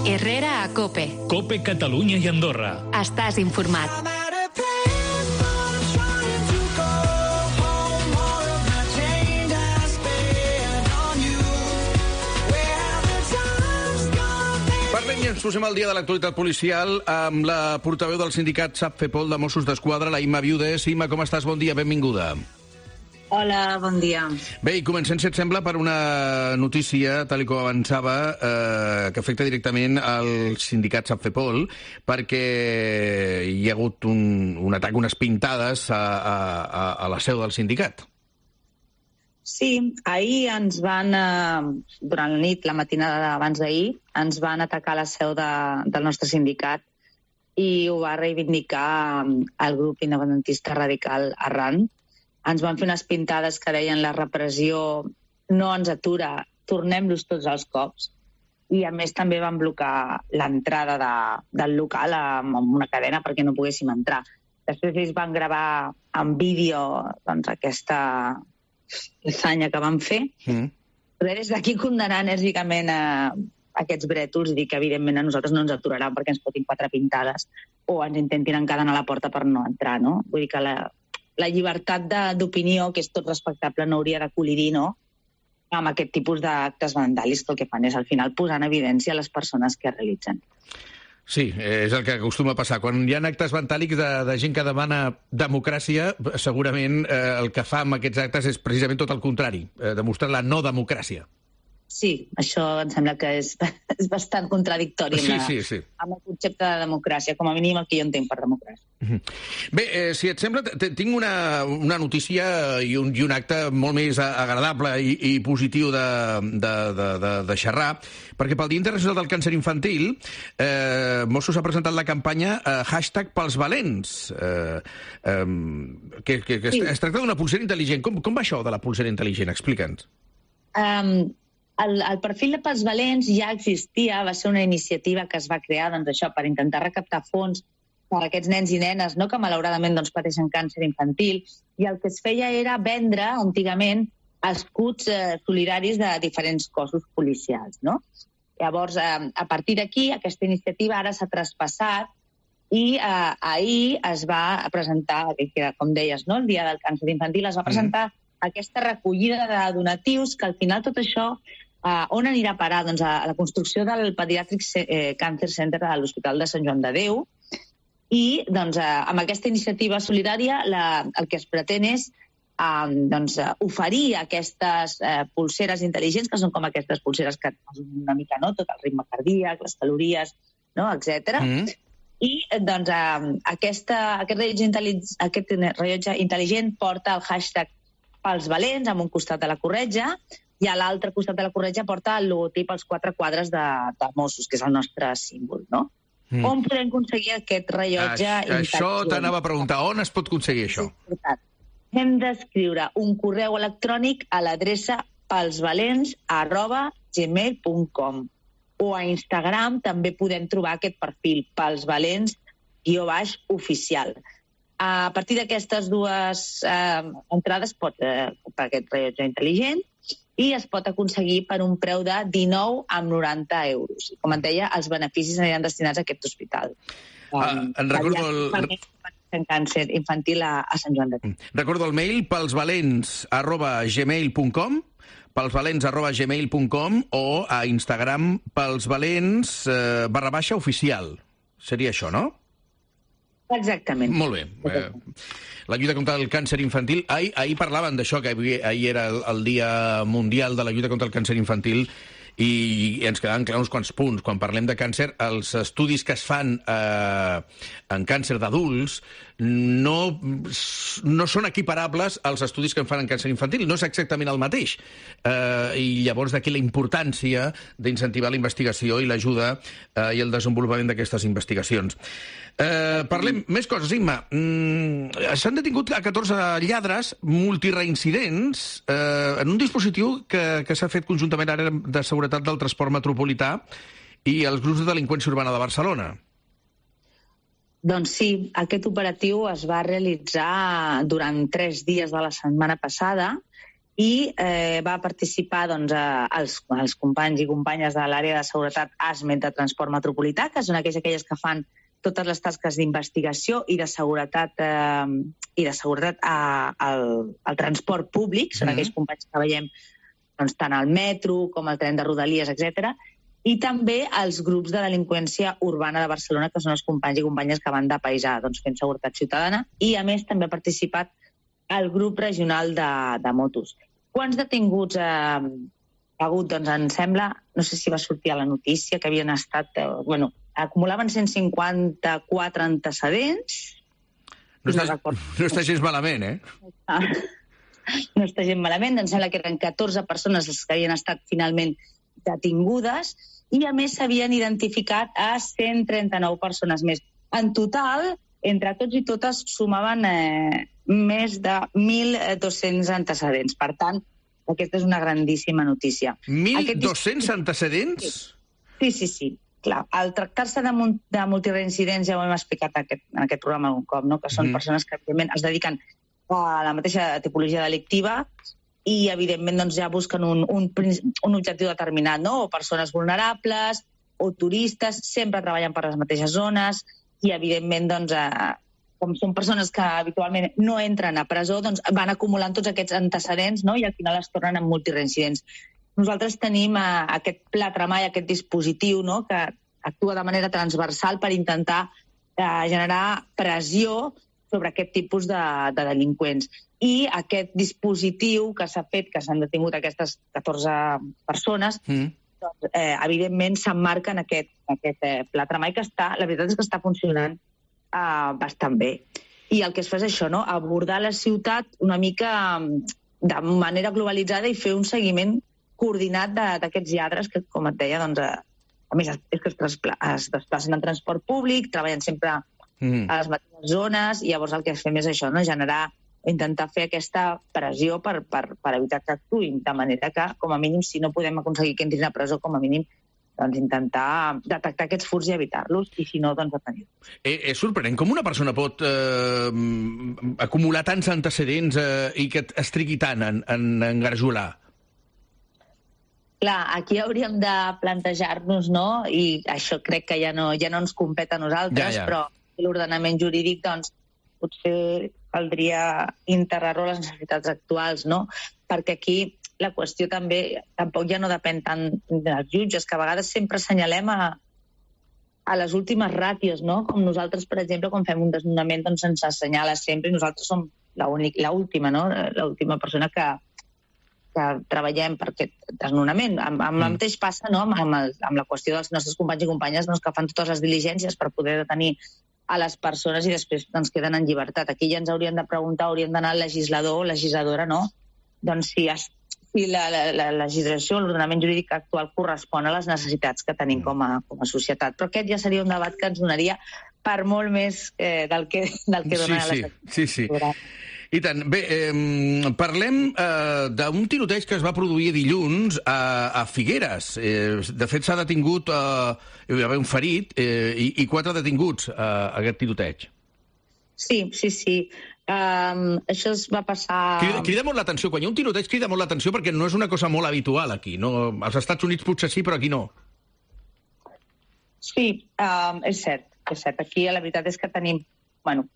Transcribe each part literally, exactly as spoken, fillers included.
Herrera a COPE. COPE Catalunya i Andorra. Estàs informat. Parlem i ens posem al dia de l'actualitat policial amb la portaveu del sindicat SAPFEPOL de Mossos d'Esquadra, la Imma Viudes. Imma, com estàs? Bon dia, benvinguda. Hola, bon dia. Bé, i comencem, si et sembla, per una notícia, tal com avançava, eh, que afecta directament al sindicat SAPFEPOL, perquè hi ha hagut un, un atac, unes pintades a, a, a la seu del sindicat. Sí, ahir ens van, eh, durant la nit, la matinada d'abans d'ahir, ens van atacar la seu de, del nostre sindicat i ho va reivindicar el grup independentista radical Arran. Ens van fer unes pintades que deien la repressió no ens atura, tornem-los tots els cops. I a més també van blocar l'entrada de, del local amb una cadena perquè no poguéssim entrar. Després ells van gravar en vídeo doncs, aquesta l'essanya que van fer. Mm. Però des d'aquí condenar enèrgicament a aquests brètols i dir que evidentment a nosaltres no ens aturaran perquè ens fotin quatre pintades o ens intentin encadenar a la porta per no entrar, no? Vull dir que la, la llibertat d'opinió, que és tot respectable, no hauria de col·lidir, no?, amb aquest tipus d'actes vandàlics, que el que fan és al final posar en evidència les persones que realitzen. Sí, és el que acostuma a passar. Quan hi ha actes vandàlics de, de gent que demana democràcia, segurament eh, el que fa amb aquests actes és precisament tot el contrari, eh, demostrar la no democràcia. Sí, això em sembla que és, és bastant contradictori sí, amb, sí, sí. amb el concepte de democràcia, com a mínim el que jo entenc per democràcia. Bé, eh, si et sembla, tinc una, una notícia i un, i un acte molt més agradable i, i positiu de, de, de, de, de xerrar, perquè pel Dia Internacional del Càncer Infantil eh, Mossos ha presentat la campanya eh, hashtag pels valents, eh, eh, que, que, que sí. es, es tracta d'una pulsera intel·ligent. Com, com va això de la pulsera intel·ligent? Explica'ns. Um, el, el perfil de pels valents ja existia, va ser una iniciativa que es va crear doncs, això per intentar recaptar fons per a aquests nens i nenes, no, que malauradament doncs, pateixen càncer infantil, i el que es feia era vendre, antigament, escuts eh, solidaris de diferents cossos policials, no? Llavors, eh, a partir d'aquí, aquesta iniciativa ara s'ha traspassat i eh, ahir es va presentar, que, com deies, no, el Dia del Càncer Infantil, es va presentar mm. aquesta recollida de donatius, que al final tot això, eh, on anirà a parar? Doncs a, a la construcció del Pediatric eh, Cancer Center de l'Hospital de Sant Joan de Déu, i doncs, eh, amb aquesta iniciativa solidària la, el que es pretén és eh, doncs, oferir aquestes eh, pulseres intel·ligents, que són com aquestes pulseres que una mica, no?, tot el ritme cardíac, les calories, no?, etcètera. Mm. I doncs, eh, aquesta, aquest, rellotge aquest rellotge intel·ligent porta el hashtag pels valents amb un costat de la corretja i a l'altre costat de la corretja porta el logotip als quatre quadres de, de Mossos, que és el nostre símbol, no? Mm. On podem aconseguir aquest rellotge intel·ligent? Això t'anava a preguntar. On es pot aconseguir això? Hem d'escriure un correu electrònic a l'adreça pelsvalents arroba gmail punt com o a Instagram també podem trobar aquest perfil, pelsvalents guió baix oficial. A partir d'aquestes dues eh, entrades pot eh, comprar aquest rellotge intel·ligent i es pot aconseguir per un preu de dinou coma noranta euros. I, com et deia, els beneficis aniran destinats a aquest hospital. Ah, um, en recordo el... en càncer infantil a, a Sant Joan de Déu. Recordo el mail pelsvalents arroba gmail punt com pelsvalents arroba gmail punt com o a Instagram pelsvalents eh, barra baixa oficial. Seria això, no? Exactament. Molt bé. Eh, la lluita contra el càncer infantil. Ahir, ahir parlaven d'això, que ahir era el, el Dia Mundial de la lluita contra el càncer infantil, i ens quedaven clars uns quants punts. Quan parlem de càncer, els estudis que es fan eh, en càncer d'adults no, no són equiparables als estudis que en fan en càncer infantil. No és exactament el mateix. Eh, I llavors d'aquí la importància d'incentivar la investigació i l'ajuda eh, i el desenvolupament d'aquestes investigacions. Eh, parlem més coses, Imma. Mm, s'han detingut a catorze lladres multireincidents eh, en un dispositiu que, que s'ha fet conjuntament ara de seguretat del transport metropolità i els grups de delinqüència urbana de Barcelona. Doncs sí, aquest operatiu es va realitzar durant tres dies de la setmana passada i eh, va participar doncs, eh, els, els companys i companyes de l'àrea de seguretat A S M E T de Transport Metropolità, que són aquelles, aquelles que fan totes les tasques d'investigació i de seguretat eh, i de seguretat a, al, al transport públic, són mm-hmm. aquells companys que veiem doncs, tant al metro com al tren de Rodalies, etcètera, i també els grups de delinqüència urbana de Barcelona, que són els companys i companyes que van de paisà doncs, fent seguretat ciutadana, i a més també ha participat el grup regional de, de motos. Quants detinguts eh, ha hagut? Doncs em sembla, no sé si va sortir a la notícia, que havien estat, eh, bueno, acumulaven cent cinquanta-quatre antecedents. No està, no, no està gens malament, eh? Ah, no està gens malament, em sembla que eren catorze persones les que havien estat finalment detingudes, i a més s'havien identificat a cent trenta-nou persones més. En total, entre tots i totes, sumaven eh, més de mil dos-cents antecedents. Per tant, aquesta és una grandíssima notícia. mil dos-cents antecedents? Sí, sí, sí. Clar, al tractar-se de, de multireincidents, ja ho hem explicat aquest, en aquest programa un cop, no? Que són mm. persones que evidentment es dediquen a la mateixa tipologia delictiva i evidentment doncs, ja busquen un, un, un objectiu determinat, no? O persones vulnerables, o turistes, sempre treballen per les mateixes zones i evidentment doncs, eh, com són persones que habitualment no entren a presó, doncs van acumulant tots aquests antecedents, no? I al final es tornen en multireincidents. Nosaltres tenim eh, aquest pla tremall, aquest dispositiu, no? Que actua de manera transversal per intentar eh, generar pressió sobre aquest tipus de, de delinqüents. I aquest dispositiu que s'ha fet, que s'han detingut aquestes catorze persones, mm. doncs, eh, evidentment s'emmarca en aquest, aquest eh, pla tremall que està, la veritat és que està funcionant eh, bastant bé. I el que es fa és això, no? Abordar la ciutat una mica de manera globalitzada i fer un seguiment coordinat d'aquests lladres que, com et deia, doncs, a més, és que es, traspla es desplacen en transport públic, treballen sempre mm. a les mateixes zones, i llavors el que es fem és això, no? Generar, intentar fer aquesta pressió per, per, per evitar que actuïn, de manera que, com a mínim, si no podem aconseguir que entrin a presó, com a mínim, doncs intentar detectar aquests furts i evitar-los, i si no, doncs detenir-los. Eh, és sorprenent com una persona pot eh, acumular tants antecedents eh, i que es trigui tant en, en engarjolar. Clar, aquí hauríem de plantejar-nos, no? I això crec que ja no, ja no ens competa a nosaltres, ja, ja. Però l'ordenament jurídic, doncs, potser caldria integrar-lo a les necessitats actuals, no? Perquè aquí la qüestió també tampoc ja no depèn tant dels jutges, que a vegades sempre assenyalem a, a les últimes ràtios, no? Com nosaltres, per exemple, quan fem un desnonament, doncs ens assenyala sempre, i nosaltres som l'última, no? L'última persona que que treballem per aquest desnonament. Amb, amb mm. el mateix passa, no?, amb, el, amb la qüestió dels nostres companys i companyes, doncs, que fan totes les diligències per poder detenir a les persones i després doncs, queden en llibertat. Aquí ja ens haurien de preguntar, haurien d'anar al legislador o legisladora, no? Doncs si, es, si la, la, la legislació, l'ordenament jurídic actual correspon a les necessitats que tenim com a, com a societat. Però aquest ja seria un debat que ens donaria per molt més eh, del que, del que dona sí, la sí, sí, sí. I tant. Bé, eh, parlem eh, d'un tiroteig que es va produir dilluns a, a Figueres. Eh, de fet, s'ha detingut, eh, hi va haver un ferit eh, i, i quatre detinguts a eh, aquest tiroteig. Sí, sí, sí. Um, això es va passar... Crida, crida molt l'atenció. Quan hi ha un tiroteig crida molt l'atenció perquè no és una cosa molt habitual aquí. No? Als Estats Units potser sí, però aquí no. Sí, um, és cert, és cert. Aquí la veritat és que tenim... Bueno,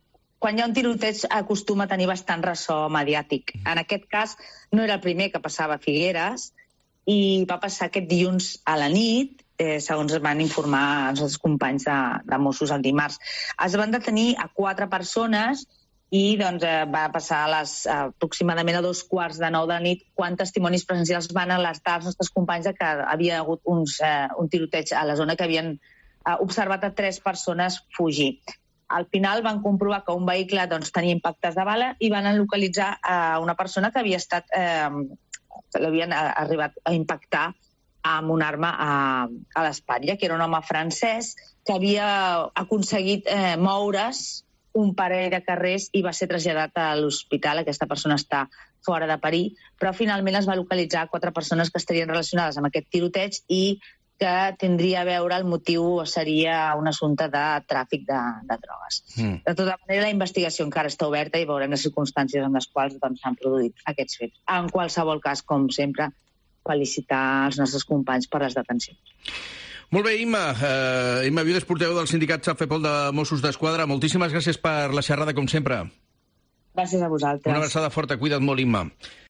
quan hi ha un tiroteig acostuma a tenir bastant ressò mediàtic. En aquest cas no era el primer que passava a Figueres i va passar aquest dilluns a la nit, eh, segons es van informar els nostres companys de, de Mossos el dimarts. Es van detenir a quatre persones i doncs, eh, va passar a les, eh, aproximadament a dos quarts de nou de la nit quan testimonis presencials van alertar els nostres companys de que havia hagut uns, eh, un tiroteig a la zona, que havien eh, observat a tres persones fugir. Al final van comprovar que un vehicle doncs, tenia impactes de bala i van localitzar eh, una persona que havia estat, eh, que l'havien arribat a impactar amb una arma a, a l'espatlla, que era un home francès que havia aconseguit eh, moure's un parell de carrers i va ser traslladat a l'hospital. Aquesta persona està fora de perill, però finalment es va localitzar quatre persones que estarien relacionades amb aquest tiroteig i que tindria a veure, el motiu seria un assumpte de tràfic de, de drogues. Mm. De tota manera, la investigació encara està oberta i veurem les circumstàncies en les quals doncs, s'han produït aquests fets. En qualsevol cas, com sempre, felicitar els nostres companys per les detencions. Molt bé, Imma. Uh, Imma Viudes, portaveu del sindicat Safepol de Mossos d'Esquadra. Moltíssimes gràcies per la xerrada, com sempre. Gràcies a vosaltres. Una abraçada forta. Cuida't molt, Imma.